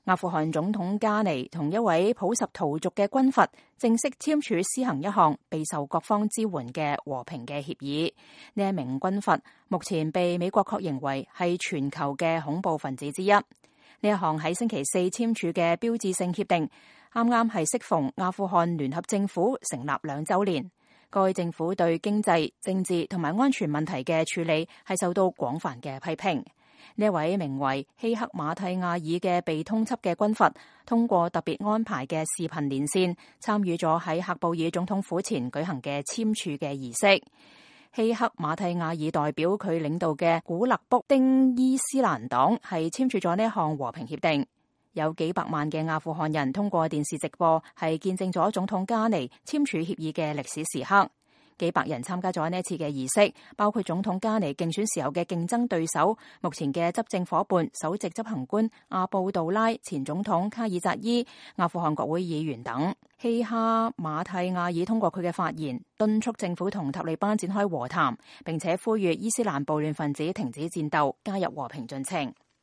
阿富汗總統加尼同一位普什圖族嘅軍閥正式簽署施行一項備受各方支援嘅和平嘅協議。呢一名軍閥目前被美國確認為係全球嘅恐怖分子之一。呢一項喺星期四簽署嘅標誌性協定，啱啱係適逢阿富汗聯合政府成立2週年。該政府對經濟、政治同埋安全問題嘅處理係受到廣泛嘅批評。呢位名為希克馬蒂亞爾嘅被通緝嘅軍閥，通過特別安排嘅視頻連線，參與咗喺喀布爾總統府前舉行嘅簽署嘅儀式。希克馬蒂亞爾代表佢領導嘅古勒卜丁伊斯蘭黨係簽署咗呢項和平協定。有幾百萬嘅阿富汗人通過電視直播，係見證咗總統加尼簽署協議嘅歷史時刻。幾百人參加咗呢一次嘅儀式，包括總統加尼競選時候嘅競爭對手、目前嘅執政夥伴、首席執行官阿布杜拉、前總統卡爾扎伊、阿富汗國會議員等。希哈馬蒂亞爾通過佢嘅發言，敦促政府同塔利班展開和談，並且呼籲伊斯蘭暴亂分子停止戰鬥，加入和平進程。